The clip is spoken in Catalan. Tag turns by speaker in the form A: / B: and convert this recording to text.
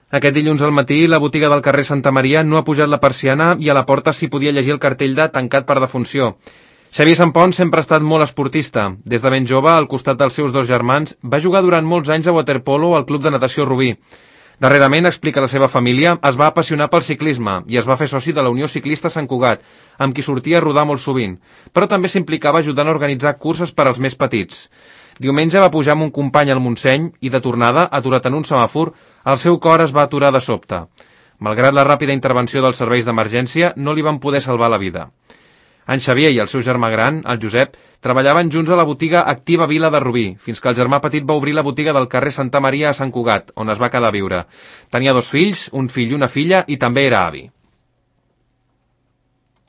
A: Aquest dilluns al matí, la botiga del carrer Santa Maria no ha pujat la persiana i a la porta s'hi podia llegir el cartell de tancat per defunció. Xavier Sampont sempre ha estat molt esportista. Des de ben jove, al costat dels seus dos germans, va jugar durant molts anys a waterpolo al Club de Natació Rubí. Darrerament, explica la seva família, es va apassionar pel ciclisme i es va fer soci de la Unió Ciclista Sant Cugat, amb qui sortia a rodar molt sovint, però també s'implicava ajudant a organitzar curses per als més petits. Diumenge va pujar amb un company al Montseny i, de tornada, aturat en un semàfor, el seu cor es va aturar de sobte. Malgrat la ràpida intervenció dels serveis d'emergència, no li van poder salvar la vida. En Xavier i el seu germà gran, el Josep, treballaven junts a la botiga Activa Vila de Rubí, fins que el germà petit va obrir la botiga del carrer Santa Maria a Sant Cugat, on es va quedar a viure. Tenia 2 fills, un fill i una filla, i també era avi.